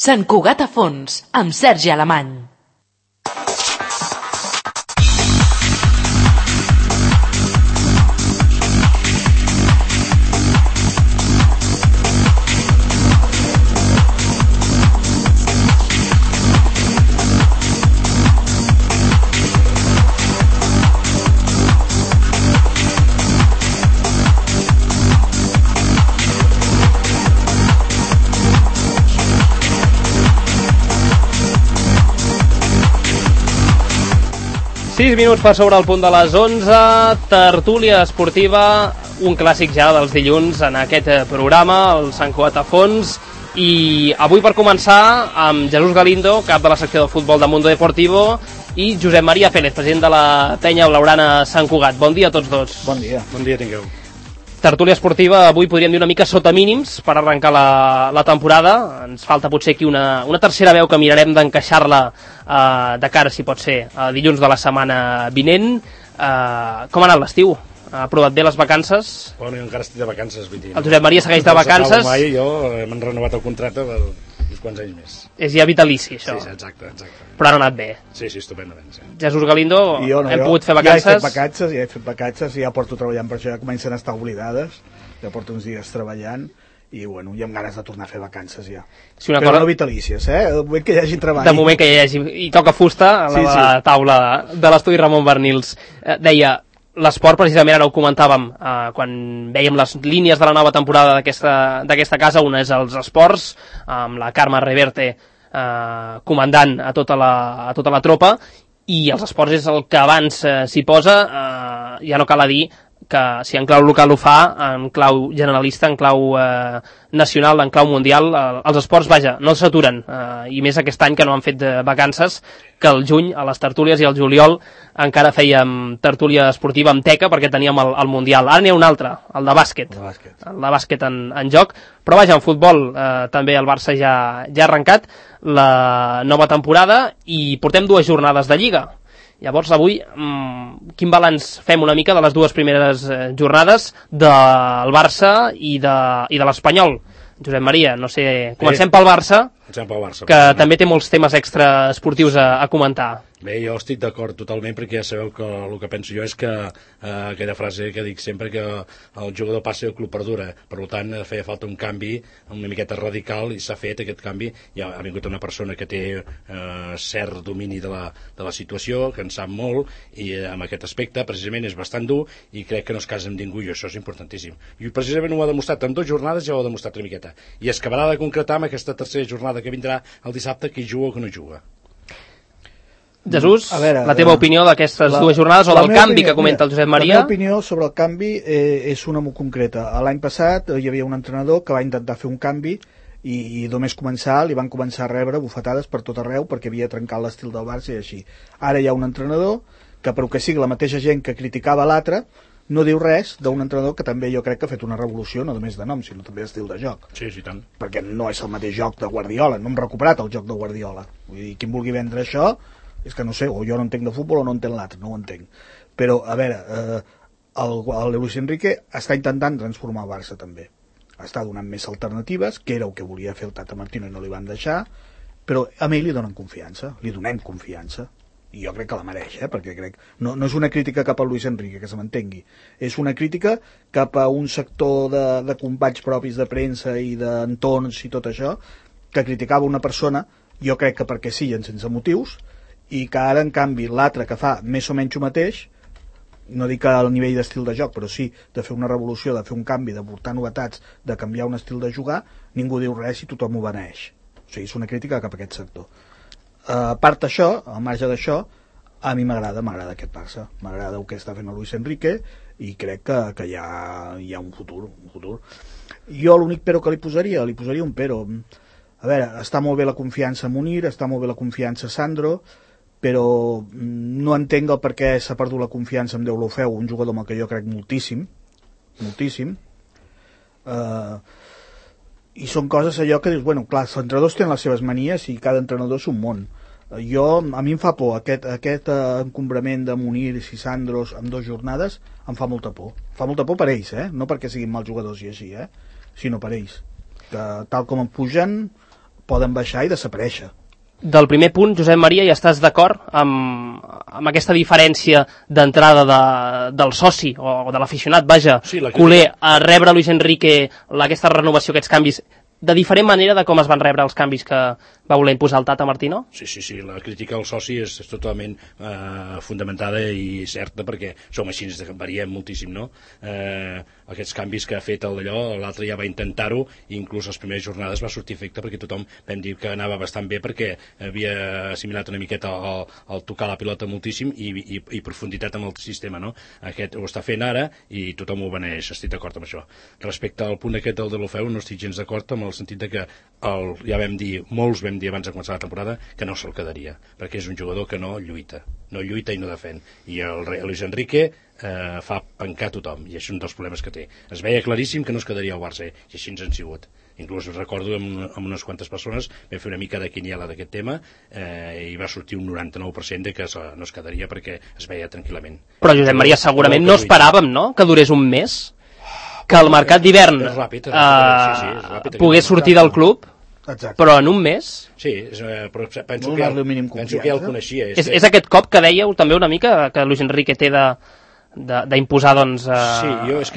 Sant Cugat a fons, amb Sergi Alemany. Sis minuts per sobre el punt de les 11, tertúlia esportiva, un clàssic ja dels dilluns en aquest programa, el Sant Cugat a fons, i avui per començar amb Jesús Galindo, cap de la secció de futbol de Mundo Deportivo, i Josep Maria Pérez, president de la penya blaugrana Sant Cugat. Bon dia a tots dos. Bon dia. Bon dia tingueu. Tertúlia esportiva, avui podríem dir una mica sota mínims per arrencar la temporada. Ens falta potser aquí una tercera veu que mirarem d'encaixar-la de cara, si pot ser, a dilluns de la setmana vinent. Com ha anat l'estiu? Ha aprovat bé les vacances? Bueno, jo encara estic de vacances. El Josep Maria segueix de vacances. Mai, jo m'han renovat el contracte per uns quants anys més. És ja vitalici, això. Sí, exacte. Però han anat bé. Sí, estupendament. Sí. Jesús Galindo, hem pogut fer vacances? Ja he fet vacances, ja porto treballant per això, ja comencen a estar oblidades, ja porto uns dies treballant, i bueno, hi ha ganes de tornar a fer vacances ja. Sí, però no vitalícies, de moment que hi hagi treball. De moment que hi hagi, i toca fusta a la taula de l'estudi Ramon Bernils. Deia, l'esport, precisament, ara ho comentàvem, quan vèiem les línies de la nova temporada d'aquesta casa, una és els esports, amb la Carme Reverte comandant a tota la tropa, i els esports és el que abans s'hi posa, ja no cal a dir que si en clau local ho fa, en clau generalista, en clau nacional, en clau mundial, els esports, vaja, no s'aturen, i més aquest any que no han fet vacances, que el juny, a les tertúlies, i el juliol encara fèiem tertúlia esportiva amb teca perquè teníem el Mundial. Ara n'hi ha un altre, el de bàsquet. El de bàsquet en joc. Però vaja, en futbol també el Barça ja ha arrencat la nova temporada i portem 2 jornades de Lliga. Llavors, avui, quin balanç fem una mica de les 2 primeres jornades del Barça i de l'Espanyol? Josep Maria, no sé, comencem pel Barça, que també té molts temes extra esportius a comentar. Bé, jo estic d'acord totalment, perquè ja sabeu que el que penso jo és que aquella frase que dic sempre, que el jugador passa i el club perdura. Per tant, feia falta un canvi una miqueta radical, i s'ha fet aquest canvi. Ja ha vingut una persona que té cert domini de la situació, que en sap molt, i en aquest aspecte precisament és bastant dur, i crec que no es casa amb ningú, i això és importantíssim. I precisament ho ha demostrat en 2 jornades, ja ho ha demostrat una miqueta, i es acabarà de concretar amb aquesta tercera jornada que vindrà el dissabte, qui juga o que no juga. Jesús, la teva opinió d'aquestes 2 jornades o del canvi que comenta el Josep Maria? La meva opinió sobre el canvi és una molt concreta. L'any passat hi havia un entrenador que va intentar fer un canvi i només començar, li van començar a rebre bufetades per tot arreu perquè havia trencat l'estil del Barça i així. Ara hi ha un entrenador que, per que sigui la mateixa gent que criticava l'altre, no diu res d'un entrenador que també jo crec que ha fet una revolució, no només de nom, sinó també d'estil de joc. Sí, tant. Perquè no és el mateix joc de Guardiola, no hem recuperat el joc de Guardiola. Vull dir, qui em vulgui vendre això, és que no sé, o jo no entenc de futbol o no entenc l'altre, no ho entenc. Però, a veure, el Luis Enrique està intentant transformar el Barça també. Està donant més alternatives, que era el que volia fer el Tata Martino i no li van deixar, però a ell li donen confiança, li donem confiança. I jo crec que la mereix, perquè crec... No és una crítica cap a Luis Enrique, que se m'entengui. És una crítica cap a un sector de companys propis de premsa i d'entorns i tot això, que criticava una persona, jo crec que perquè sí, sense motius, i que ara, en canvi, l'altre que fa més o menys el mateix, no dic al nivell d'estil de joc, però sí de fer una revolució, de fer un canvi, de portar novetats, de canviar un estil de jugar, ningú diu res i tothom ho beneeix. O sigui, és una crítica cap a aquest sector. A part d'això, al marge d'això, a mi m'agrada aquest Barça. M'agrada el que està fent el Luis Enrique i crec que hi ha un futur. Jo l'únic però que li posaria un però. A veure, està molt bé la confiança a Munir, està molt bé la confiança a Sandro, però no entenc el per què s'ha perdut la confiança amb Deulofeu, un jugador amb el que jo crec moltíssim. I són coses allò que dius, bueno, clar, els entrenadors tenen les seves manies i cada entrenador és un món. A mi em fa por aquest encombrament de Munir i Sandros en 2 jornades, em fa molta por. Fa molta por per ells, no perquè siguin mals jugadors i així, sinó per ells. Que tal com em pugen, poden baixar i desaparèixer. Del primer punt, Josep Maria, ja estàs d'acord amb aquesta diferència d'entrada del soci o de l'aficionat, vaja, Sí, la culer, a rebre Luis Enrique aquesta renovació, aquests canvis, de diferent manera de com es van rebre els canvis que va voler imposar el Tata Martino? Sí, la crítica al soci és totalment fundamentada i certa, perquè som així, variem moltíssim, no? Aquests canvis que ha fet allò, l'altre ja va intentar-ho, i inclús les primeres jornades va sortir efecte, perquè tothom vam dir que anava bastant bé, perquè havia assimilat una miqueta el tocar la pilota moltíssim i profunditat amb el sistema, no? Aquest ho està fent ara i tothom ho beneix, estic d'acord amb això. Respecte al punt aquest del Deulofeu, no estic gens d'acord amb el sentit de que ja vam dir, molts vam dir abans de començar la temporada, que no se'l quedaria, perquè és un jugador que no lluita i no defèn, i el Luis Enrique fa pencar tothom, i és un dels problemes que té. Es veia claríssim que no es quedaria al Barça, i així ens han sigut. Inclús recordo amb unes quantes persones vam fer una mica de quiniela d'aquest tema, i va sortir un 99% de que no es quedaria perquè es veia tranquil·lament. Però Josep Maria, segurament no esperàvem, no?, que durés un mes, que el mercat d'hivern pogués sortir del club. Exacte. Però en un mes? Sí, però penso que ja el coneixia. És aquest cop que dèieu també una mica que Luis Enrique té d'imposar, doncs,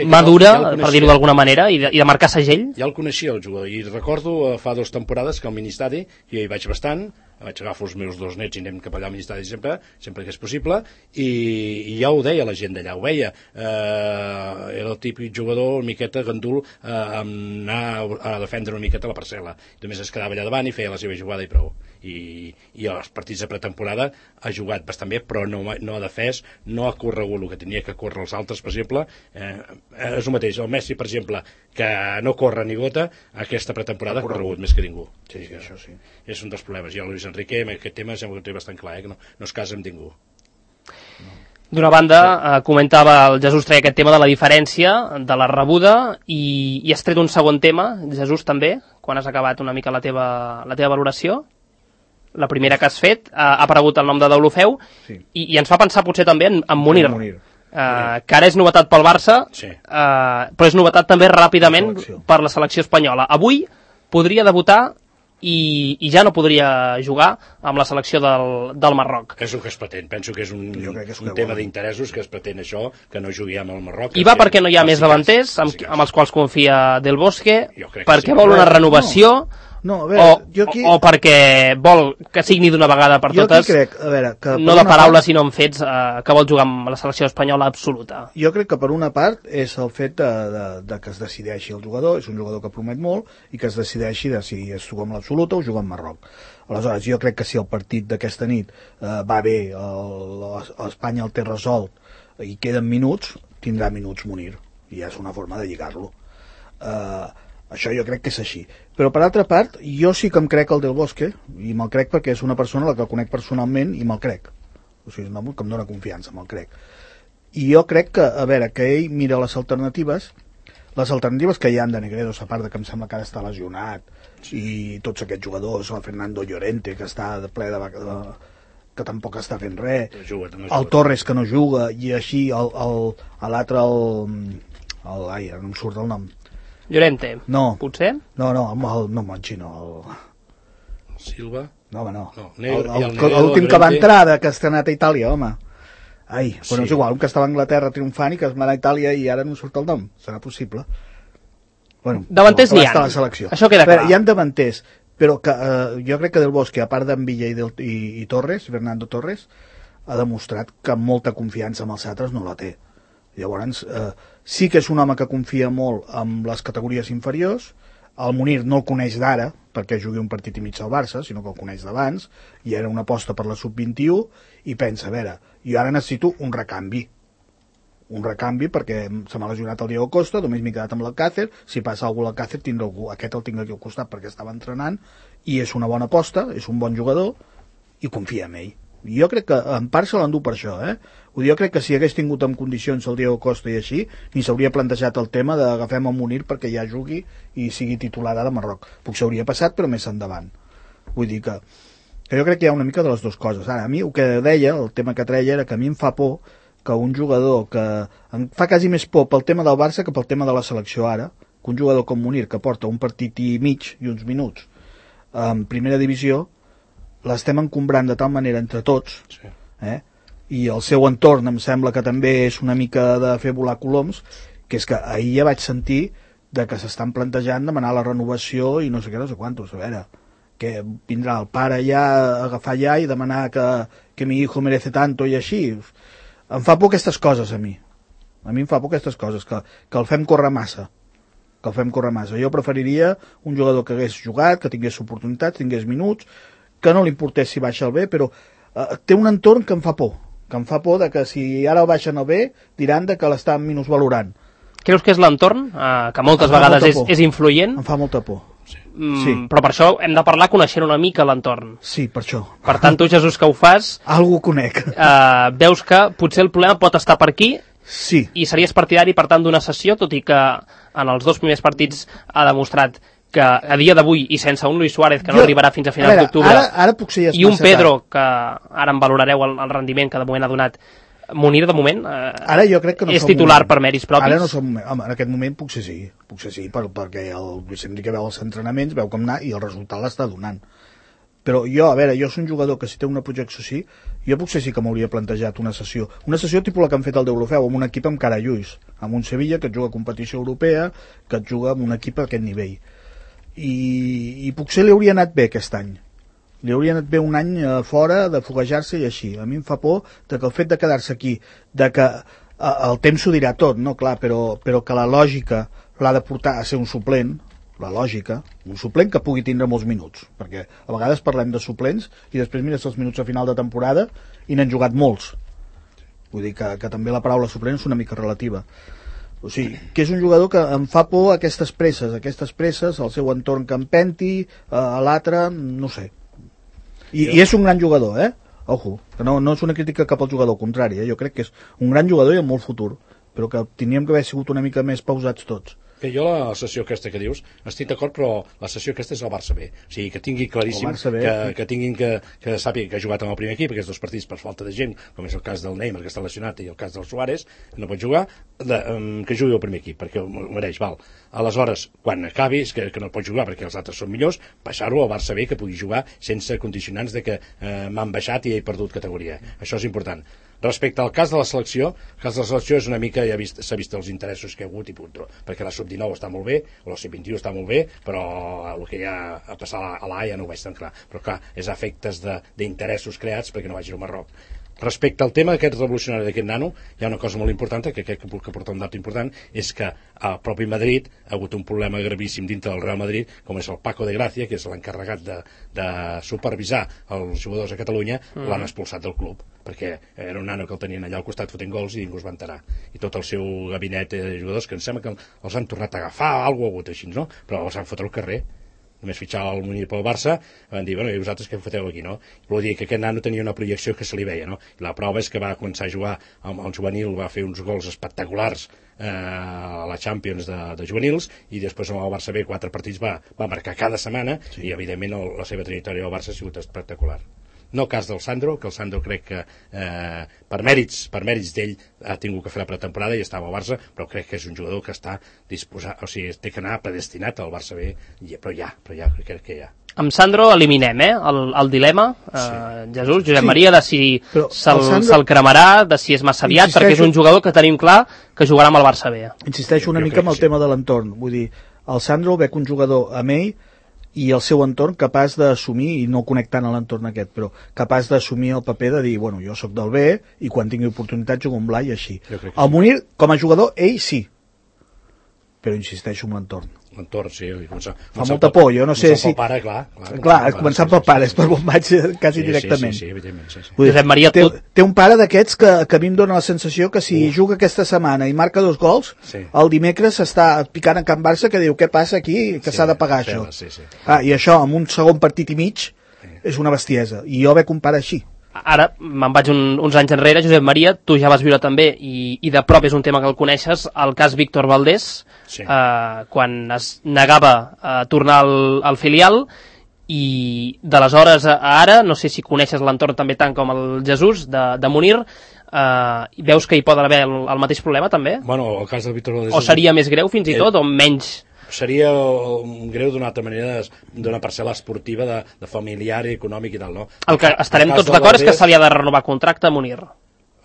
madura, per dir-ho d'alguna manera, i de marcar segell? Ja el coneixia, el jugador, i recordo fa 2 temporades que al Ministadi, jo hi vaig bastant, vaig agafar els meus 2 nets i anem cap allà al Ministadi sempre que és possible, i ja ho deia la gent d'allà, ho veia. Era el típic jugador, una miqueta gandul, anar a defendre una miqueta la parcel·la. Només es quedava allà davant i feia la seva jugada i prou. I als partits de pretemporada ha jugat bastant bé, però no ha defès, no ha corregut el que tenia que córrer els altres, per exemple. És el mateix, el Messi, per exemple, que no corre ni gota, aquesta pretemporada ha corregut més que ningú. Sí, això sí. És un dels problemes. I el Luis Enrique, en aquest tema, sembla que ho té bastant clar, que no es casa amb ningú. D'una banda, comentava el Jesús, treia aquest tema de la diferència, de la rebuda, i has tret un segon tema, Jesús, també, quan has acabat una mica la teva valoració. La primera que has fet, ha aparegut el nom de Deulofeu, sí. I ens fa pensar potser també en Munir. Que ara és novetat pel Barça, sí. Però és novetat també ràpidament per la selecció espanyola. Avui podria debutar i ja no podria jugar amb la selecció del Marroc. És el que es pretén, penso que és un tema d'interessos que es pretén això, que no jugui amb el Marroc. I va perquè no hi ha més davanters amb els quals confia Del Bosque, perquè vol una renovació, o perquè vol que signi d'una vegada per totes, no de paraules sinó en fets, que vol jugar amb la selecció espanyola absoluta. Jo crec que per una part és el fet de que es decideixi el jugador, és un jugador que promet molt, i que es decideixi de si es juga amb l'absoluta o juga amb Marroc. Aleshores, jo crec que si el partit d'aquesta nit va bé, Espanya el té resolt i queden minuts, tindrà minuts Munir, i és una forma de lligar-lo. Això jo crec que és així. Però per altra part, jo sí que em crec el Del Bosque, i me'l crec perquè és una persona a la que conec personalment i me'l crec. O sigui, és un home que em dóna confiança, me'l crec. I jo crec que, a veure, que ell mira les alternatives que hi ha de Negredo, a part de que em sembla que ara està lesionat, i tots aquests jugadors, el Fernando Llorente, que està de ple que tampoc està fent res, el Torres, que no juga, i així l'altre, ai, no em surt el nom, Llorente, no. Potser? No, el xino, Silva? No, home, no. L'últim que va entrar, que està anat a Itàlia, home. Ai, però és igual, un que estava a Anglaterra triomfant i que es va a Itàlia i ara no surt el nom. Serà possible? Bueno, davanters n'hi ha. Això queda clar. Hi ha davanters, però jo crec que Del Bosque, a part d'en Villa i Torres, Fernando Torres, ha demostrat que molta confiança amb els altres no la té. Llavors, sí que és un home que confia molt en les categories inferiors. El Munir no el coneix d'ara, perquè jugui un partit i mig al Barça, sinó que el coneix d'abans, i era una aposta per la sub-21, i pensa, a veure, jo ara necessito un recanvi, perquè se m'ha lesionat el Diego Costa, només m'he quedat amb l'Alcácer, si passa algú a l'Alcácer, aquest el tinc aquí al costat perquè estava entrenant, i és una bona aposta, és un bon jugador, i confia en ell. Jo crec que en part se l'endú per això, Jo crec que si hagués tingut en condicions el Diego Costa i així, ni s'hauria plantejat el tema d'agafem el Munir perquè ja jugui i sigui titular de Marroc. Potser hauria passat, però més endavant. Vull dir que jo crec que hi ha una mica de les dues coses. Ara, a mi el que deia, el tema que treia, era que a mi em fa por que un jugador que em fa quasi més por pel tema del Barça que pel tema de la selecció ara, que un jugador com Munir, que porta un partit i mig i uns minuts, en primera divisió l'estem encombrant de tal manera entre tots, i el seu entorn em sembla que també és una mica de fer volar coloms, que és que ahir ja vaig sentir de que s'estan plantejant demanar la renovació i no sé què, no sé quantos, a veure, que vindrà el pare ja a agafar ja i demanar que mi hijo merece tanto i així. Em fa por aquestes coses a mi em fa por aquestes coses, que el fem córrer massa, jo preferiria un jugador que hagués jugat, que tingués oportunitats, tingués minuts, que no li importés si baixa el B, però té un entorn que em fa por de que si ara el baixen el B diran de que l'estan minusvalorant. Creus que és l'entorn, que moltes vegades és influent? Em fa molta por. Sí. Però per això hem de parlar coneixent una mica l'entorn. Sí, per això. Per tant, tu, Jesús, que ho fas... Algú conec. Veus que potser el problema pot estar per aquí. Sí. I series partidari, per tant, d'una sessió, tot i que en els 2 primers partits ha demostrat que a dia d'avui, i sense un Luis Suárez, que no arribarà fins a finals d'octubre, ara potser ja i un Pedro, que ara en valorareu el rendiment que de moment ha donat, Munir, de moment, ara jo crec que no és titular per mèrits propis? Ara no som moment. Home, en aquest moment potser sí, perquè el Luis Enrique veu els entrenaments, veu com anar i el resultat l'està donant. Però jo, a veure, jo soc un jugador que si té una projecció sí, jo potser sí que m'hauria plantejat una sessió tipus la que han fet el d'Eurofeu, amb un equip amb cara lluís, amb un Sevilla que et juga a competició europea, que et juga amb un equip a aquest nivell. I potser li hauria anat bé aquest any. Li hauria anat bé un any fora, de foguejar-se i així. A mi em fa por que el fet de quedar-se aquí, de que el temps ho dirà tot, no? Clar, però que la lògica l'ha de portar a ser un suplent, la lògica, un suplent que pugui tindre molts minuts, perquè a vegades parlem de suplents i després mires els minuts a final de temporada i n'han jugat molts. Vull dir que també la paraula suplent és una mica relativa. O sigui, que és un jugador que em fa por aquestes presses, el seu entorn que empenti, a l'altre, no sé. I és un gran jugador, Ojo, que no és una crítica cap al jugador, al contrari, jo crec que és un gran jugador i amb molt futur, però que teníem que haver sigut una mica més pausats tots. Que jo la sessió aquesta que dius estic d'acord, però la sessió aquesta és el Barça B, o sigui, que tingui claríssim que tinguin que sàpiga que ha jugat amb el primer equip aquests 2 partits per falta de gent, com és el cas del Neymar que està lesionat i el cas del Suárez no pot jugar, que jugui al primer equip perquè ho mereix, val. Aleshores, quan acabi, que no pot jugar perquè els altres són millors, baixar-ho al Barça B, que pugui jugar sense condicionants de que m'han baixat i he perdut categoria, això és important. Respecte al cas de la selecció, és una mica, s'ha vist els interessos que hi ha hagut i punt, perquè la sub-19 està molt bé, la sub-21 està molt bé, però el que hi ha a passar a l'A ja no ho veig tan clar, però clar, és a efectes d'interessos creats perquè no vagi al Marroc. Respecte al tema d'aquest revolucionari d'aquest nano, hi ha una cosa molt important, que crec que porta un dato important, és que al propi Madrid ha hagut un problema gravíssim dintre del Real Madrid, com és el Paco de Gracia, que és l'encarregat de supervisar els jugadors a Catalunya, l'han expulsat del club, perquè era un nano que el tenien allà al costat fotent gols i ningú es va enterar. I tot el seu gabinet de jugadors, que em sembla que els han tornat a agafar, alguna cosa ha hagut així, no? Però els han fotut al carrer. Només fitxava el Munir pel Barça, van dir, bueno, i vosaltres què foteu aquí, no? Vol dir que aquest nano tenia una projecció que se li veia, no? I la prova és que va començar a jugar amb el juvenil, va fer uns gols espectaculars a la Champions de juvenils, i després amb el Barça B 4 partits va marcar cada setmana, i evidentment la seva trajectòria al Barça ha sigut espectacular. No cas del Sandro, que el Sandro crec que per mèrits d'ell ha tingut que fer la pretemporada i estava al Barça, però crec que és un jugador que està disposat, o sigui, té que anar predestinat al Barça B, però ja, crec que ja. Amb Sandro eliminem, el dilema, Jesús, Josep Maria, de si se'l cremarà, de si és massa aviat, perquè és un jugador que tenim clar que jugarà amb el Barça B. Insisteixo una mica amb el tema de l'entorn, vull dir, el Sandro veig un jugador amb ell i el seu entorn capaç d'assumir, i no conec tant a l'entorn aquest, però capaç d'assumir el paper de dir, bueno, jo sóc del B i quan tingui oportunitat jugo amb l'A i així. El Munir, com a jugador, ell sí, però insisteixo en l'entorn. L'entorn, sí. Fa molta por, jo no sé si... Pare, clar, començant pel pare, és per on vaig quasi directament. Sí, evidentment. Josep Maria, té un pare d'aquests que a mi em dóna la sensació que si juga aquesta setmana i marca 2 gols, el dimecres s'està picant a Can Barça que diu, què passa aquí, que s'ha de pagar això. I això, amb un segon partit i mig, és una bestiesa. I jo veig un pare així. Ara, me'n vaig uns anys enrere, Josep Maria, tu ja vas viure també, i de prop és un tema que el coneixes, el cas Víctor Valdés, quan es negava a tornar al filial, i d'aleshores a ara, no sé si coneixes l'entorn també tant com el Jesús, de Munir, veus que hi pot haver el mateix problema també? Bueno, el cas del Víctor Valdés... O seria més greu fins i tot, o menys seria greu d'una altra manera d'una parcel·la esportiva de familiar i econòmic i tal, no? El que estarem tots d'acord és que se li ha de renovar contracte a Munir.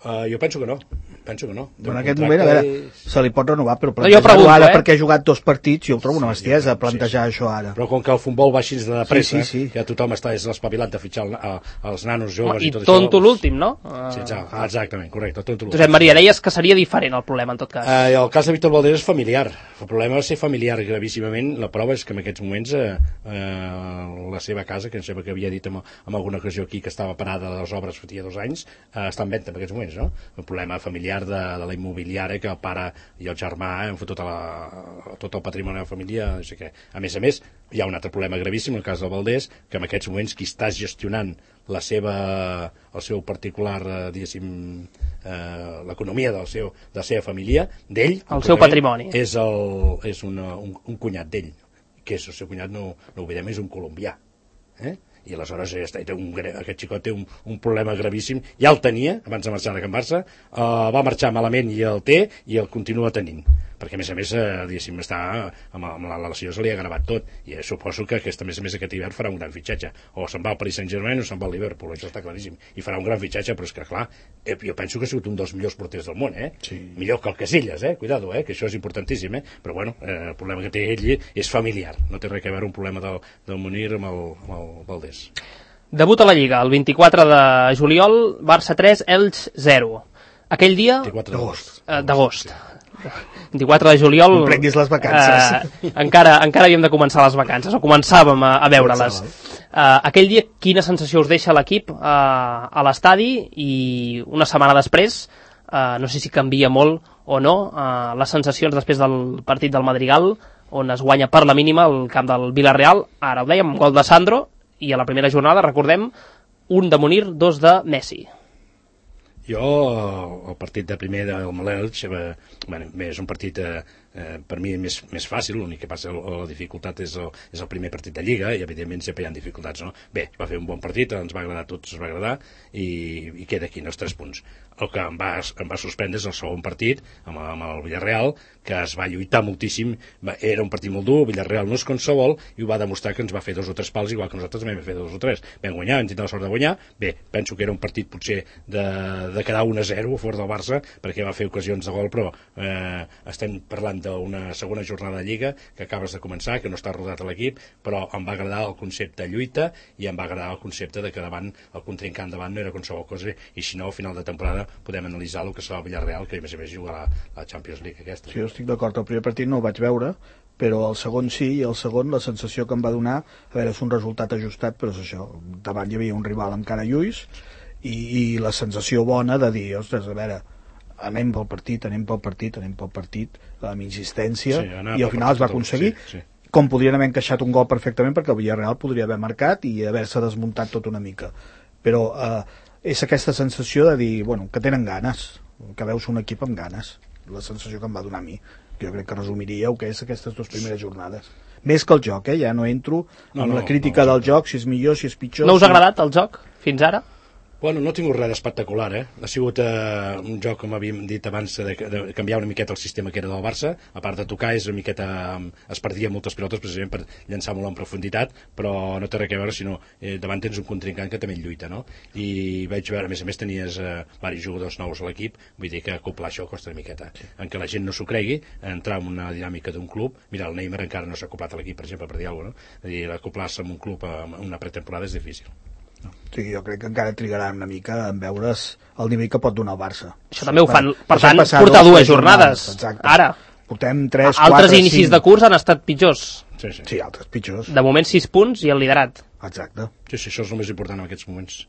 Jo penso que no. En aquest moment, a veure, se li pot renovar, però plantejar-ho ara perquè ha jugat 2 partits, jo ho trobo una bestiesa, plantejar això ara. Però com que el futbol va així de pressa, ja tothom està espavilat de fitxar els nanos joves i tot això. I tonto l'últim, no? Sí, exactament, correcte, tonto l'últim. Josep Maria, deies que seria diferent el problema, en tot cas. El cas de Víctor Valdés és familiar. El problema va ser familiar gravíssimament. La prova és que en aquests moments la seva casa, que em sembla que havia dit en alguna ocasió aquí que estava parada de les obres fa 2 anys, està en venda en aquests moments, no? El problema familiar de la immobiliària que el pare i el germà han fotut tot el patrimoni de la família, no sé què. A més, hi ha un altre problema gravíssim, el cas del Valdés, que en aquests moments qui està gestionant el seu particular, diguéssim, l'economia de la seva família, d'ell, el seu patrimoni, és un cunyat d'ell, que és el seu cunyat, no oblidem, és un colombià, i aleshores aquest xicot té un problema gravíssim, ja el tenia abans de marxar de Can Barça, va marxar malament i el té i el continua tenint, perquè a més diguéssim, està amb la lesió se li ha gravat tot, i suposo que a més aquest hivern farà un gran fitxatge, o se'n va al Paris Saint-Germain o se'n va al Liverpool, això està claríssim, i farà un gran fitxatge, però és que clar, jo penso que ha sigut un dels millors porters del món, sí. Millor que el Casillas, cuidado, que això és importantíssim, però bueno, el problema que té ell és familiar, no té res a veure un problema del Munir amb el Valdés. Debut a la Lliga, el 24 de juliol, Barça 3, Elx 0. Aquell dia... 24 d'agost. 24 de juliol... No prenguis les vacances. Encara havíem de començar les vacances, o començàvem a veure-les. Aquell dia, quina sensació us deixa l'equip a l'estadi? I una setmana després, no sé si canvia molt o no, les sensacions després del partit del Madrigal, on es guanya per la mínima el camp del Villarreal. Ara ho dèiem, gol de Sandro, i a la primera jornada, recordem, 1 de Munir, 2 de Messi. Jo, el partit de primer del Elx, és un partit per mi més fàcil, l'únic que passa la dificultat és el primer partit de Lliga, i evidentment sempre hi ha dificultats, no? Bé, va fer un bon partit, ens va agradar a tots, ens va agradar, i queda aquí, els 3 punts. El que em va sorprendre és el segon partit, amb el Villarreal, que es va lluitar moltíssim, era un partit molt dur, el Villarreal no és qualsevol, i ho va demostrar que ens va fer 2 o 3 pals, igual que nosaltres també vam fer 2 o 3. Vam guanyar, vam tindre la sort de guanyar, bé, penso que era un partit potser de quedar 1-0 a favor del Barça, perquè va fer ocasions de gol, però estem parlant d'una segona jornada de Lliga que acabes de començar, que no està rodat a l'equip, però em va agradar el concepte de lluita i em va agradar el concepte de que davant el contrincant davant no era qualsevol cosa, i si no, al final de temporada podem analitzar el que serà el Villarreal, que a més jugarà la Champions League aquesta. Sí, jo estic d'acord, el primer partit no el vaig veure, però el segon sí, i el segon la sensació que em va donar, a veure, és un resultat ajustat, però és això, davant hi havia un rival amb cara lluís, i la sensació bona de dir, ostres, a veure, anem pel partit, amb insistència, i al final es va aconseguir, com podrien haver encaixat un gol perfectament, perquè el Villarreal podria haver marcat i haver-se desmuntat tot una mica, però és aquesta sensació de dir, bueno, que tenen ganes, que veus un equip amb ganes, la sensació que em va donar a mi, que jo crec que resumiria el que és aquestes 2 primeres jornades. Més que el joc, ja no entro amb la crítica del joc, si és millor, si és pitjor. No us ha agradat el joc fins ara? Bueno, no ha tingut res d'espectacular, Ha sigut un joc, com havíem dit abans, de canviar una miqueta el sistema que era del Barça, a part de tocar, és una miqueta... es perdia moltes pilotes precisament per llançar molt en profunditat, però no té res a veure, sinó davant tens un contrincant que també lluita, no? I vaig veure, a més tenies diversos jugadors nous a l'equip, vull dir que acoplar això costa una miqueta. En què la gent no s'ho cregui, entrar en una dinàmica d'un club, mira, el Neymar encara no s'ha acoplat a l'equip, per exemple, per dir alguna cosa, no? És a dir, acoplar-se en un club en una pretemporada és difícil. Sí, jo crec que encara trigarà una mica en veure's el nivell que pot donar el Barça. Això també ho fan, per tant, portar 2 jornades. Ara. Portem 3, 4, altres inicis 5. De curs han estat pitjors. Sí, altres pitjors. De moment 6 punts i el liderat. Exacte. Sí, això és el més important en aquests moments.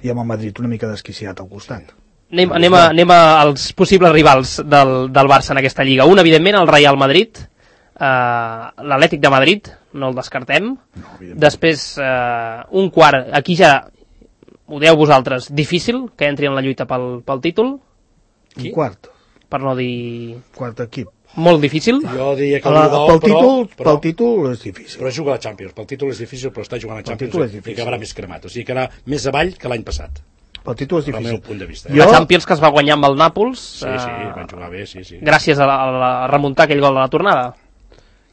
I amb el Madrid una mica desquiciat al costat. Anem als possibles rivals del Barça en aquesta lliga. Un, evidentment, el Real Madrid, l'Atlètic de Madrid, no el descartem. No, després, un quart, aquí ja ho dèieu vosaltres, difícil que entri en la lluita pel títol. Un quart? Per no dir... Quart equip. Molt difícil. Jo diria que pel títol és difícil. Però juga a la Champions. Pel títol és difícil, però està jugant a Champions i acabarà més cremat. O sigui, quedarà més avall que l'any passat. El títol és difícil. Del meu punt de vista. La Champions que es va guanyar amb el Nàpols. Sí, van jugar bé, sí. Gràcies a remuntar aquell gol de la tornada.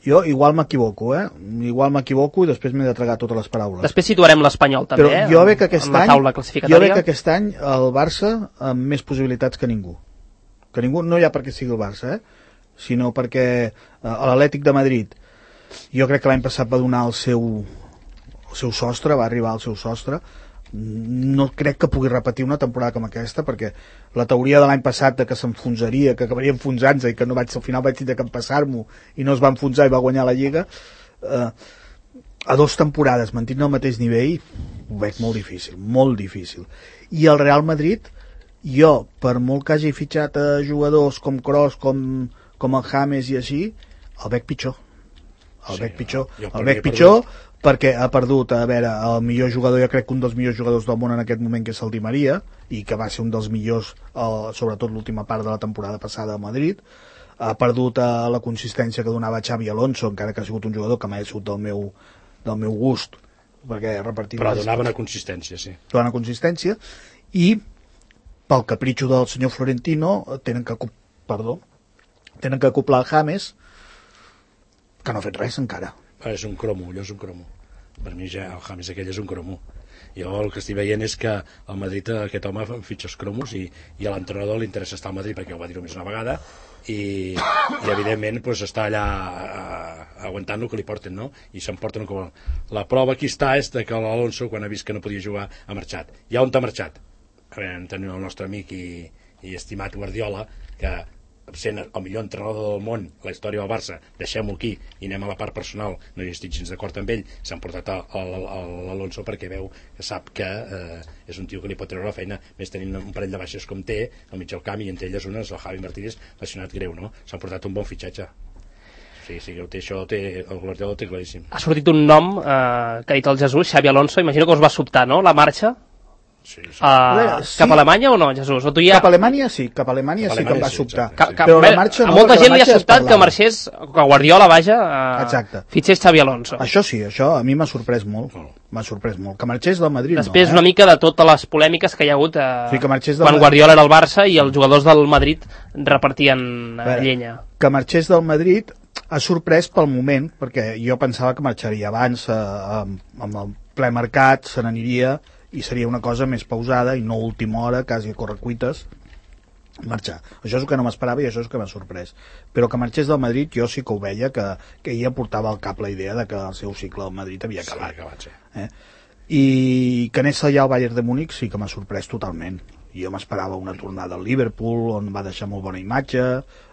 Jo igual m'equivoco, i després m'he de tragar totes les paraules. Després situarem l'Espanyol també, però jo veig que aquest en la taula classificatòria. Jo veig que aquest any el Barça amb més possibilitats que ningú. Que ningú, no ja perquè sigui el Barça, sinó perquè l'Atlètic de Madrid, jo crec que l'any passat va donar el seu sostre, va arribar al seu sostre. No crec que pugui repetir una temporada com aquesta, perquè la teoria de l'any passat de que s'enfonsaria, que acabaria enfonsant-se i que no al final vaig tindre que empassar-m'ho i no es va enfonsar i va guanyar la Lliga, a 2 temporades mantint el mateix nivell ho veig molt difícil. I el Real Madrid, jo, per molt que hagi fitxat a jugadors com Kroos, com el James i així, el veig pitjor. El veig pitjor perquè ha perdut, el millor jugador, jo crec que un dels millors jugadors del món en aquest moment, que és el Di Maria, i que va ser un dels millors, sobretot l'última part de la temporada passada a Madrid. Ha perdut la consistència que donava Xavi Alonso, encara que ha sigut un jugador que m'ha sigut del meu gust, perquè però donava una consistència, sí. Donava una consistència, i pel capritxo del senyor Florentino tenen que acoplar el James, que no ha fet res encara. És un cromo. Per mi ja el James aquell és un cromo. Jo el que estic veient és que al Madrid aquest home fitxa els cromos i a l'entrenador li interessa estar al Madrid perquè ho va dir només una vegada i evidentment doncs, està allà aguantant el que li porten, no? I s'emporten com... La prova aquí està és que l'Alonso, quan ha vist que no podia jugar, ha marxat. I on ha marxat? Tenim el nostre amic i estimat Guardiola, que sent el millor entrenador del món, la història del Barça, deixem-ho aquí i anem a la part personal, no hi estic gens d'acord amb ell, s'han portat l'Alonso perquè veu que sap que és un tio que li pot treure la feina, més tenint un parell de baixes com té al mig del camp, i entre elles una és el Javi Martínez, lesionat greu, no? S'han portat un bon fitxatge. Sí, el Guardiola té claríssim. Ha sortit un nom que ha dit el Jesús, Xavi Alonso, imagino que us va sobtar, no?, la marxa. Sí. Cap a Alemanya o no, Jesús? O tu ja... Cap a Alemanya sí que em va sobtar. Però la marxa, a molta gent li ha sobtat que marxés, que Guardiola, fitxés Xavi Alonso. Això sí, això a mi m'ha sorprès molt. Que marxés del Madrid. Després una mica de totes les polèmiques que hi ha hagut quan Guardiola era al Barça i els jugadors del Madrid repartien llenya. Que marxés del Madrid ha sorprès pel moment, perquè jo pensava que marxaria abans, amb el ple mercat, se n'aniria i seria una cosa més pausada i no a última hora, quasi a correcuites, marxar. Això és el que no m'esperava i això és el que m'ha sorprès. Però que marxés del Madrid jo sí que ho veia, que ella portava al cap la idea de que el seu cicle al Madrid havia acabat. I que anés allà al Bayern de Múnich sí que m'ha sorprès totalment. Jo m'esperava una tornada al Liverpool, on va deixar molt bona imatge,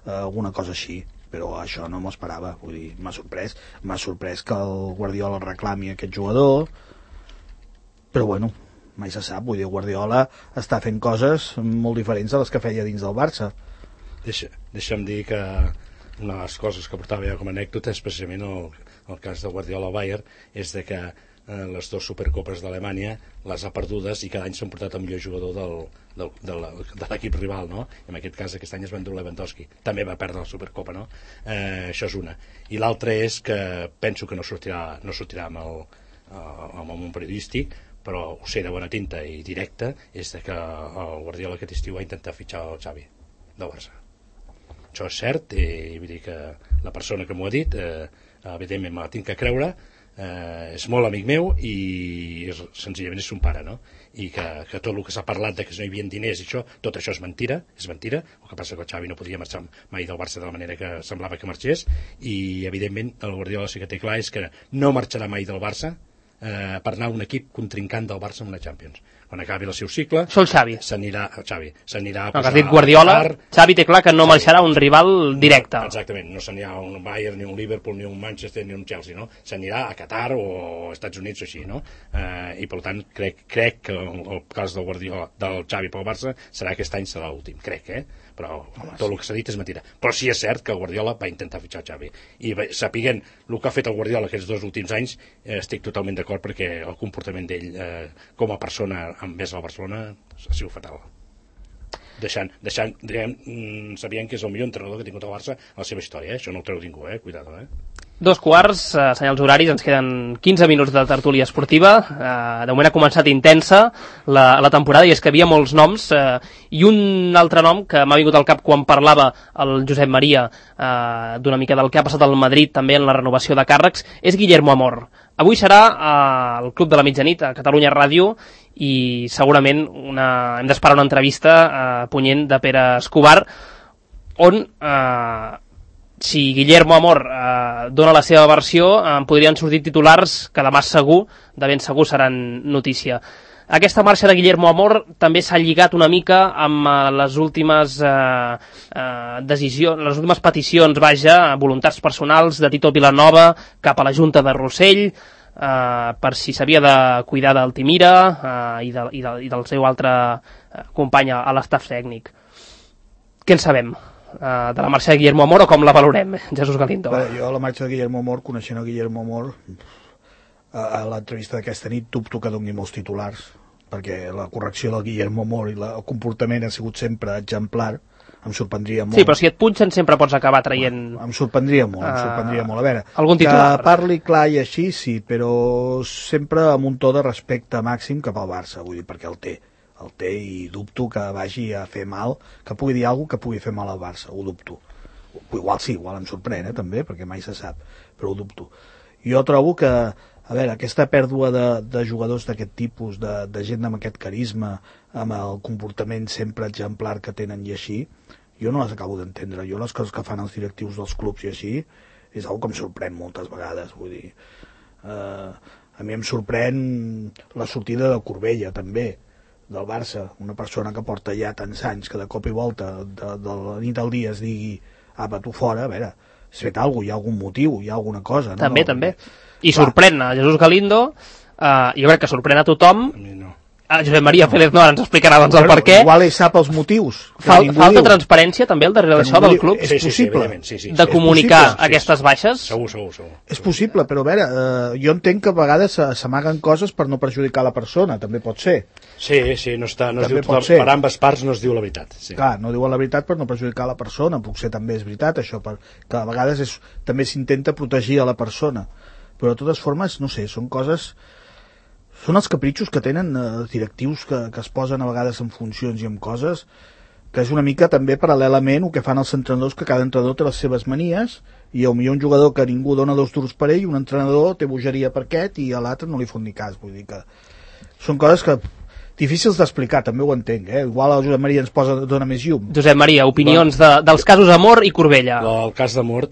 alguna cosa així, però això no m'ho esperava. Vull dir, m'ha sorprès que el Guardiola reclami aquest jugador, però bueno, mai se sap. Vull dir, Guardiola està fent coses molt diferents de les que feia dins del Barça. Deixa'm dir que una de les coses que portava ja com a anècdota és precisament el cas de Guardiola al Bayern, és de que les 2 supercopes d'Alemanya les ha perdudes i cada any s'han portat el millor jugador de l'equip rival, no? I en aquest cas aquest any es va endur Lewandowski, també va perdre la supercopa, no? Això és una. I l'altra és que penso que no sortirà amb el món periodístic, però ho sé de bona tinta i directa, és que el Guardiola aquest estiu va intentar fitxar el Xavi del Barça. Això és cert, i vull dir que la persona que m'ho ha dit evidentment me la tinc que creure, és molt amic meu i senzillament és son pare, no? I que tot el que s'ha parlat de que no hi havia diners i això, tot això és mentira. El que passa que el Xavi no podia marxar mai del Barça de la manera que semblava que marxés, i evidentment el Guardiola sí que té clar és que no marxarà mai del Barça per anar a un equip contrincant del Barça en una Champions. Quan acabi el seu cicle, s'anirà a dit Guardiola, Xavi té clar que no marxarà un rival directe. Exactament, no s'anirà a un Bayern, ni un Liverpool, ni un Manchester, ni un Chelsea, no? S'anirà a Qatar o als Estats Units o així, no? I per tant crec que el cas del Guardiola, del Xavi pel Barça, serà aquest any serà l'últim, crec, però tot el que s'ha dit és mentira. Però sí és cert que el Guardiola va intentar fitxar Xavi, i sapiguent el que ha fet el Guardiola aquests 2 últims anys, estic totalment d'acord, perquè el comportament d'ell com a persona envers el Barcelona ha sigut fatal, sabent que és el millor entrenador que ha tingut el Barça a la seva història, això no ho treu ningú, cuidado. 2:15, senyals horaris, ens queden 15 minuts de tertúlia esportiva. De moment ha començat intensa la temporada, i és que havia molts noms, i un altre nom que m'ha vingut al cap quan parlava el Josep Maria d'una mica del que ha passat al Madrid també en la renovació de càrrecs, és Guillermo Amor. Avui serà al Club de la Mitjanit, a Catalunya Ràdio, i segurament hem d'esperar una entrevista punyent de Pere Escobar, on si Guillermo Amor dona la seva versió, podrien sortir titulars que demà segur, de ben segur, seran notícia. Aquesta marxa de Guillermo Amor també s'ha lligat una mica amb les últimes decisions, les últimes peticions, voluntats personals de Tito Vilanova cap a la Junta de Rossell, per si s'havia de cuidar d'Altimira i del seu altre company a l'estaf tècnic. Què en sabem de la marxa de Guillermo Amor, o com la valorem, Jesús Galindo? Jo la marxa de Guillermo Amor, coneixent el Guillermo Amor, a l'entrevista d'aquesta nit dubto que doni molts titulars, perquè la correcció del Guillermo Amor i el comportament ha sigut sempre exemplar. Em sorprendria molt. Sí, però si et punxen sempre pots acabar traient... Em sorprendria molt. A veure, algun titular. Que parli clar i així, sí, però sempre amb un to de respecte màxim cap al Barça, vull dir, perquè el té, i dubto que vagi a fer mal, que pugui dir alguna cosa que pugui fer mal al Barça, ho dubto. Igual sí, igual em sorprèn, també, perquè mai se sap, però ho dubto. Jo trobo que, a veure, aquesta pèrdua de jugadors d'aquest tipus, de gent amb aquest carisma, amb el comportament sempre exemplar que tenen i així, jo no les acabo d'entendre. Jo les coses que fan els directius dels clubs i així és una que em sorprèn moltes vegades, vull dir. A mi em sorprèn la sortida de Corbella, també, del Barça, una persona que porta ja tants anys que de cop i volta de la nit al dia es digui apa, tu fora, a veure, has fet alguna cosa, hi ha algun motiu, hi ha alguna cosa, no? També. I sorprèn a Jesús Galindo, jo crec que sorprèn a tothom. A mi no. Josep Maria Pérez Nora ens explicarà doncs el per què. Igual ell sap els motius. Falta transparència també al darrere d'això del club? És possible. De comunicar aquestes baixes? Segur. És possible, però a veure, jo entenc que a vegades s'amaguen coses per no perjudicar la persona, també pot ser. Sí, no es diu, per ambes parts no es diu la veritat. Sí. Clar, no diuen la veritat per no perjudicar la persona, potser també és veritat això, que a vegades també s'intenta protegir a la persona, però de totes formes, no sé, són coses... Són els capritxos que tenen directius que es posen a vegades en funcions i en coses, que és una mica també paral·lelament el que fan els entrenadors, que cada entrenador té les seves manies, i potser un jugador que ningú dona 2 duros per ell, un entrenador té bogeria per aquest i a l'altre no li fot ni cas. Vull dir que són coses que difícils d'explicar, també ho entenc, Igual el Josep Maria ens dona més llum. Josep Maria, opinions dels casos Amor i Corbella. El cas d'Amor,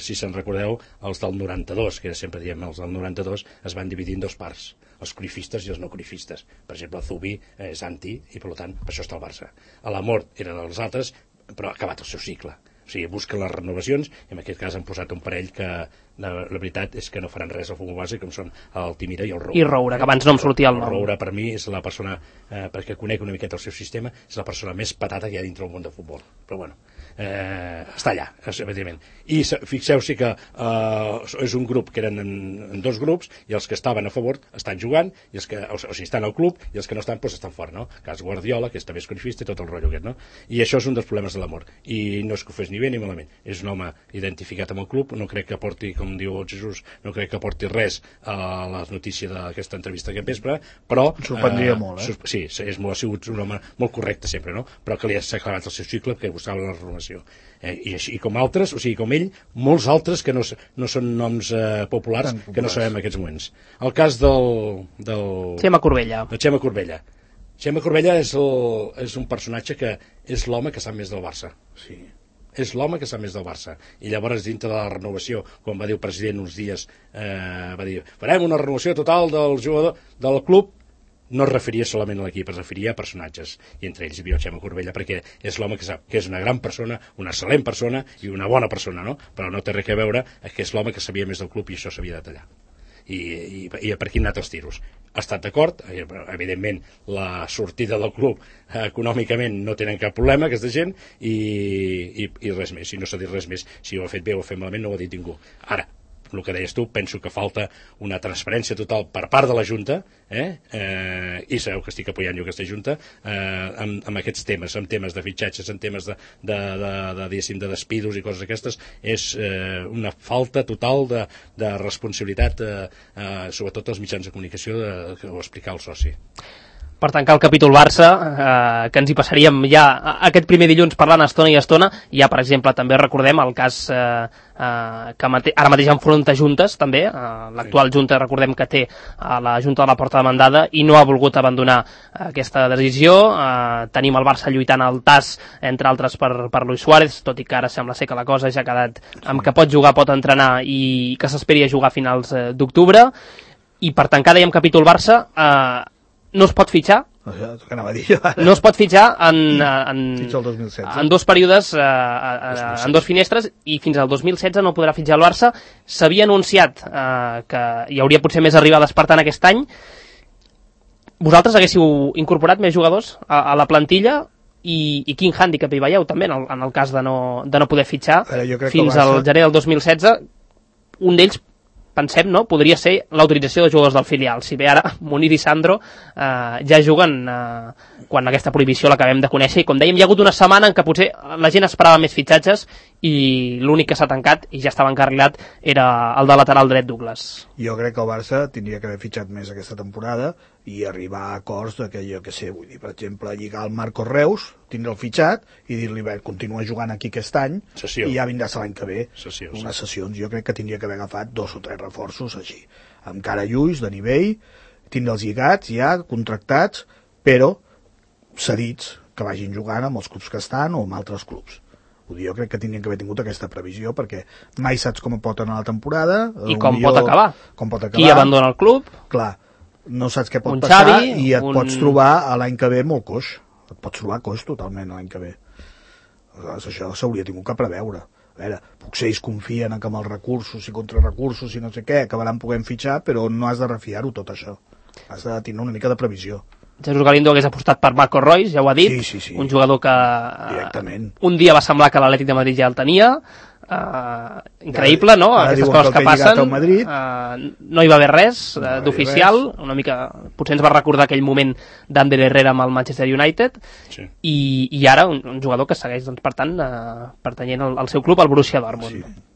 si se'n recordeu, els del 92, que sempre diem els del 92, es van dividir en 2 parts, els cruyffistes i els no cruyffistes. Per exemple, el Zubi és anti i per tant per això està al Barça. L'Amor eren els altres, però ha acabat el seu cicle. O sigui, busquen les renovacions, i en aquest cas han posat un parell que la veritat és que no faran res al futbol base, com són el Timira i el Roura. I Roura, que abans no em sortia el nom. El Roura, per mi, és la persona, perquè conec una miqueta el seu sistema, és la persona més patata que hi ha dintre del món del futbol. Però bueno, està allà, evidentment. I fixeu-s'hi que és un grup que eren en 2 grups, i els que estaven a favor estan jugant, i els que, o sigui, estan al club, i els que no estan, doncs estan fora, no? Cas Guardiola, que és també escorifista, i tot el rotllo aquest, no? I això és un dels problemes de l'Amor. I no és que ho fes ni bé ni malament. És un home identificat amb el club, no crec que porti, com diu el Jesús, no crec que porti res a la notícia d'aquesta entrevista aquest vespre, però... Sorprendria molt, Sí, ha sigut un home molt correcte sempre, no? Però que li ha acabat el seu cicle, que buscava la renovació. I així com altres, o sigui, com ell, molts altres que no són noms populars, que no sabem en aquests moments. El cas del... Xema Corbella. De Xema Corbella. Xema Corbella és un personatge que és l'home que sap més del Barça. Sí. És l'home que sap més del Barça. I llavors, dintre de la renovació, quan va dir el president uns dies, va dir, farem una renovació total del jugador del club, no es referia solament a l'equip, es referia a personatges, i entre ells hi havia el Xema Corbella, perquè és l'home que sap que és una gran persona, una excel·lent persona i una bona persona, no? Però no té res a veure que és l'home que sabia més del club i això s'havia de tallar. I per aquí han anat els tiros. Ha estat d'acord, evidentment la sortida del club econòmicament no tenen cap problema aquesta gent, i res més, si no s'ha dit res més, si ho ha fet bé o ho ha fet malament no ho ha dit ningú. Ara, el que deies tu, penso que falta una transparència total per part de la Junta, i sabeu que estic apoyant jo aquesta Junta, amb aquests temes, amb temes de fitxatges, amb temes de despidos i coses aquestes. És una falta total de responsabilitat, sobretot als mitjans de comunicació, que ho explicar el soci. Per tancar el capítol Barça, que ens hi passaríem ja aquest primer dilluns parlant estona i estona, ja per exemple també recordem el cas que ara mateix enfronta juntes també, l'actual junta recordem que té la junta de la porta demandada i no ha volgut abandonar aquesta decisió. Tenim el Barça lluitant al TAS, entre altres per Luis Suárez, tot i que ara sembla ser que la cosa ja ha quedat amb que pot jugar, pot entrenar i que s'esperi a jugar a finals d'octubre. I per tancar, dèiem capítol Barça, no es pot fitxar, no es pot fitxar en dos períodes, en dos finestres, i fins al 2016 no podrà fitxar el Barça. S'havia anunciat que hi hauria potser més arribades per tant aquest any. Vosaltres haguéssiu incorporat més jugadors a la plantilla i quin hàndicap hi veieu també en el cas de no poder fitxar fins al gener del 2016? Un d'ells, pensem, no? Podria ser l'autorització de jugadors del filial. Si bé ara Munir i Sandro ja juguen quan aquesta prohibició l'acabem de conèixer, i com dèiem, hi ha hagut una setmana en què potser la gent esperava més fitxatges i l'únic que s'ha tancat i ja estava encarrilat era el de lateral dret Douglas. Jo crec que el Barça tindria que haver fitxat més aquesta temporada i arribar a acords de que, jo què sé, vull dir, per exemple, lligar el Marcos Reus, tindre el fitxat i dir-li, bé, continua jugant aquí aquest any i ja vindràs l'any que ve. Unes sessions. Jo crec que tindria que haver agafat 2 o 3 reforços així, amb cara lluís, de nivell, tindre'ls lligats ja, contractats, però cedits, que vagin jugant amb els clubs que estan o amb altres clubs. Jo crec que tindrien que haver tingut aquesta previsió, perquè mai saps com pot anar la temporada i com pot acabar. Qui abandona el club, clar, no saps què pot passar i et pots trobar l'any que ve molt coix. Et pots trobar coix totalment l'any que ve. Això s'hauria tingut que preveure. A veure, potser ells confien que amb els recursos i contrarrecursos i no sé què acabaran podent fitxar, però no has de refiar-ho tot això. Has de tenir una mica de previsió. Jesús Galindo hagués apostat per Marco Reus, ja ho ha dit, sí. Un jugador que un dia va semblar que l'Atlètic de Madrid ja el tenia, increïble, no? Aquestes coses que passen, no hi va haver res d'oficial, una mica, potser ens va recordar aquell moment d'Ander Herrera amb el Manchester United, i ara un jugador que segueix, doncs, per tant, pertanyent al seu club, al Borussia Dortmund.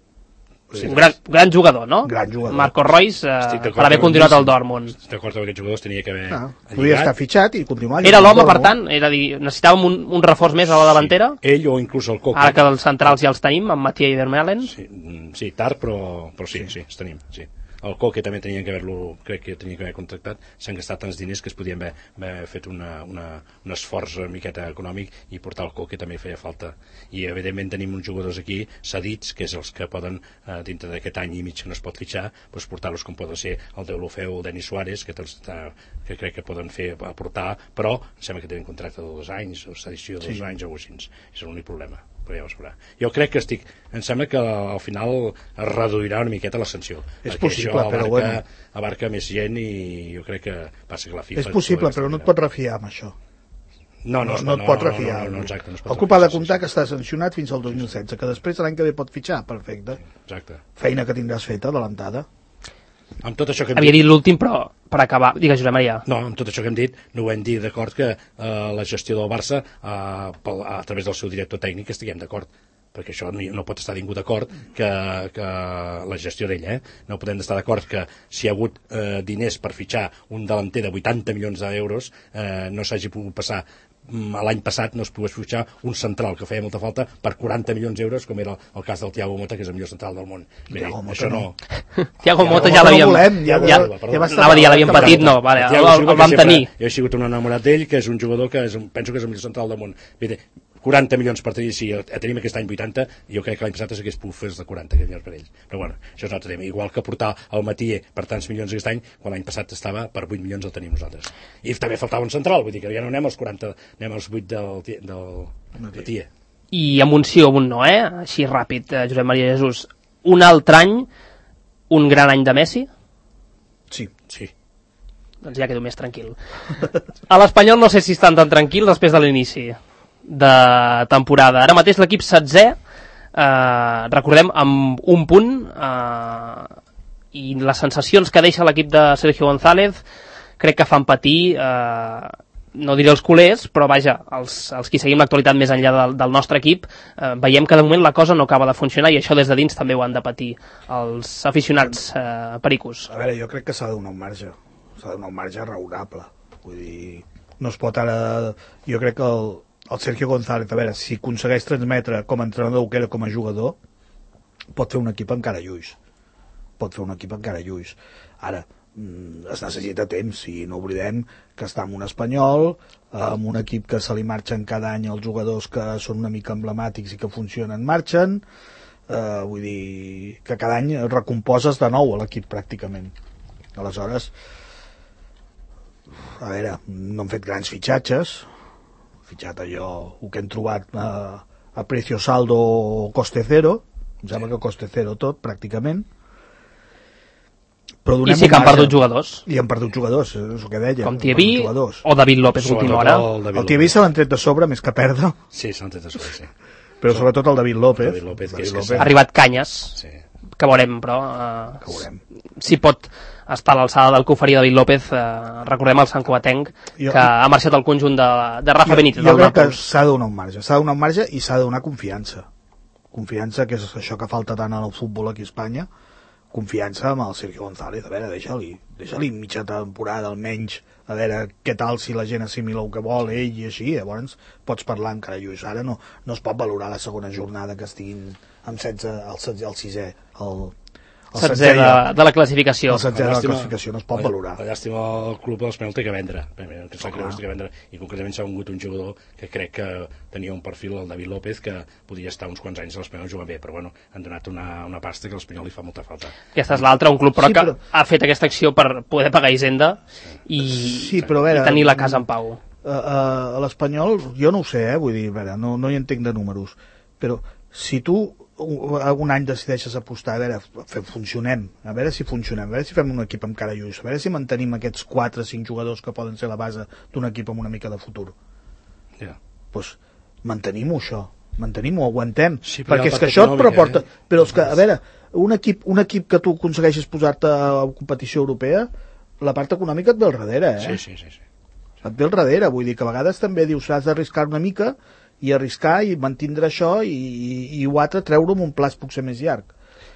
Un gran jugador, no? Gran jugador. Marco Reus, per haver continuat al Dortmund. Estic d'acord amb aquests jugadors, tenia que haver podia estar fitxat i continuar. Era l'home, per tant, era dir, necessitàvem un reforç més a la davantera. Ell o inclús el Coque. Ara que els centrals ja els tenim, amb Mathieu i Vermeulen. Sí, tard, però sí, els tenim, sí. El Coque també tenien que haver-lo, crec que tenia que haver contractat. S'han gastat tants diners que es podien haver fet un esforç una miqueta econòmic, i portar el Coque també feia falta. I evidentment tenim uns jugadors aquí cedits, que és els que poden, dintre d'aquest any i mig que no es pot fitxar, doncs portar-los com poden ser el Deulofeu o el Denis Suárez, que crec que poden aportar, però sembla que tenen contracte de 2 anys o sedició de 2 anys o així. És l'únic problema. Però ja ho sabrà. Jo crec que em sembla que al final es reduirà una miqueta la sanció. És possible, però bueno. Abarca més gent i jo crec que passa que la FIFA... És possible, però no et pots refiar amb això. No et pots refiar. Exacte. El club ha de comptar que està sancionat fins al 2016, que després l'any que ve pot fitxar, perfecte. Exacte. Feina que tindràs feta, adelantada. Amb tot això que havia dit l'últim, però per acabar, digues, Josep Maria. No, amb tot això que hem dit, no ho hem dit d'acord que la gestió del Barça a través del seu director tècnic estiguem d'acord, perquè això no pot estar ningú d'acord que la gestió d'ell, no podem estar d'acord que si hi ha hagut diners per fitxar un delanter de 80 milions d'euros no s'hagi pogut passar l'any passat, no es pogués fitxar un central que feia molta falta per 40 milions d'euros, com era el cas del Thiago Motta, que és el millor central del món. Això no. Thiago Motta ja l'havíem... Ja l'havíem patit, no, el vam tenir. Jo he sigut un enamorat d'ell, que és un jugador que penso que és el millor central del món. 40 milions per tenir, si tenim aquest any 80, jo crec que l'any passat s'hagués pogut fer de 40 milions per ells. Però bueno, això és un altre tema. Igual que portar el Mathieu per tants milions aquest any, quan l'any passat estava per 8 milions el tenim nosaltres. I també faltava un central, vull dir que ja no anem als 40, anem als 8 del Mathieu. I amb un sí o un no, així ràpid, Josep Maria Jesús. Un altre any, un gran any de Messi? Sí. Doncs ja quedo més tranquil. A l'Espanyol no sé si estan tan tranquils després de l'inici de temporada. Ara mateix l'equip 16è, recordem, amb un punt, i les sensacions que deixa l'equip de Sergio González crec que fan patir, no diré els culers, però vaja, els qui seguim l'actualitat més enllà del nostre equip, veiem que de moment la cosa no acaba de funcionar i això des de dins també ho han de patir els aficionats pericos. A veure, jo crec que s'ha de donar un marge, raonable. Vull dir, no es pot ara... Jo crec que el Sergio González, a veure, si aconsegueix transmetre com a entrenador que era com a jugador, pot fer un equip encara lluix. Ara, es necessita temps, i no oblidem que està en un Espanyol, amb un equip que se li marxen cada any els jugadors que són una mica emblemàtics i que funcionen, marxen, vull dir que cada any recomposes de nou a l'equip pràcticament. Aleshores, a veure, no han fet grans fitxatges, fitxat allò, el que hem trobat a precio saldo o coste cero, em sembla que coste cero tot, pràcticament. Però i sí que han perdut jugadors. I han perdut jugadors, és el que deia. Com Tiaví o David López última hora. El Tiaví se l'han tret de sobre més que perdre. Sí, se l'han tret de sobre, sí. Però sobretot el David López. Ha arribat Canyes, sí. Que veurem, però... si pot estar a l'alçada del que oferia David López, recordem el Sant Cugatenc, que ha marxat al conjunt de Rafa Benítez. Jo crec que s'ha de donar un marge, i s'ha de donar confiança. Confiança, que és això que falta tant en el futbol aquí a Espanya, confiança amb el Sergio González. A veure, deixa-li mitja temporada almenys, a veure què tal, si la gent assimila el que vol ell i així, llavors pots parlar encara lluís. Ara no es pot valorar la segona jornada que estiguin amb 16, el 6è, el 16è de la classificació. El 16è de la classificació no es pot valorar. La llàstima, el club de l'Espanyol té que vendre, i concretament s'ha vengut un jugador que crec que tenia un perfil, el David López, que podia estar uns quants anys a l'Espanyol jugant bé, però bueno, han donat una pasta que a l'Espanyol li fa molta falta. Aquesta és l'altra, un club però que ha fet aquesta acció per poder pagar Hisenda i tenir la casa en pau. A l'Espanyol, jo no ho sé, vull dir, no hi entenc de números, però si tu un any decideixes apostar, a veure, funcionem, a veure si fem un equip amb cara lluix, a veure si mantenim aquests 4 o 5 jugadors que poden ser la base d'un equip amb una mica de futur. Doncs mantenim-ho, això, mantenim-ho, aguantem, perquè és que això et proporta, però és que, a veure, un equip que tu aconsegueixis posar-te a competició europea, la part econòmica et ve al darrere, Sí. Et ve al darrere, vull dir que a vegades també dius, has d'arriscar una mica i arriscar i mantindre això i ho altre treure amb un plaç potser més llarg.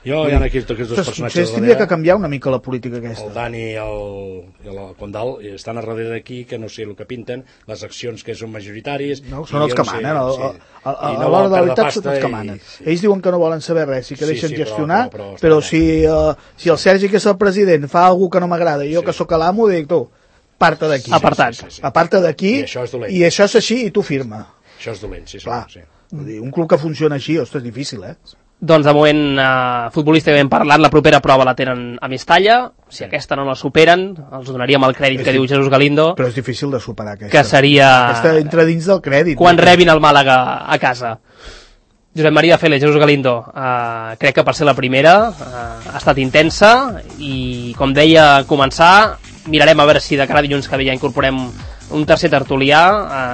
Hi ha aquí tots aquests dos personatges potser tindria que canviar una mica la política aquesta. El Dani i el Condal estan a darrere d'aquí, que no sé el que pinten, les accions que són majoritaris... No, són els que manen, a l'hora de la veritat són els que manen. Ells diuen que no volen saber res i que deixen gestionar, però si el Sergi, que és el president, fa alguna que no m'agrada i jo que sóc l'amo, dic, tu, aparta d'aquí. Aparta d'aquí, i això és així i tu firma. Això és dolent, sí. Clar, un club que funciona així, ostres, és difícil, Doncs de moment, futbolísticament parlant, la propera prova la tenen a Mestalla. Si aquesta no la superen, els donaríem el crèdit que diu Jesús Galindo. Però és difícil de superar aquesta. Que seria... Aquesta entra dins del crèdit. Quan rebin el Màlaga a casa. Josep Maria Félix, Jesús Galindo, crec que per ser la primera ha estat intensa i, com deia, començar, mirarem a veure si de cara a dilluns que ve ja incorporem un tercer tertulià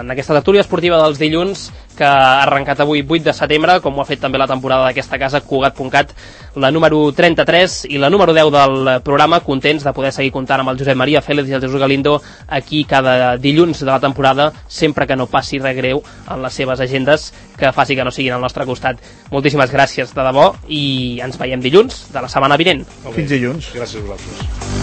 en aquesta tertúlia esportiva dels dilluns que ha arrencat avui 8 de setembre, com ho ha fet també la temporada d'aquesta casa, Cugat.cat, la número 33 i la número 10 del programa, contents de poder seguir comptant amb el Josep Maria Félix i el Jesús Galindo aquí cada dilluns de la temporada, sempre que no passi res greu en les seves agendes, que faci que no siguin al nostre costat. Moltíssimes gràcies de debò i ens veiem dilluns de la setmana vinent. Fins dilluns. Gràcies a vosaltres.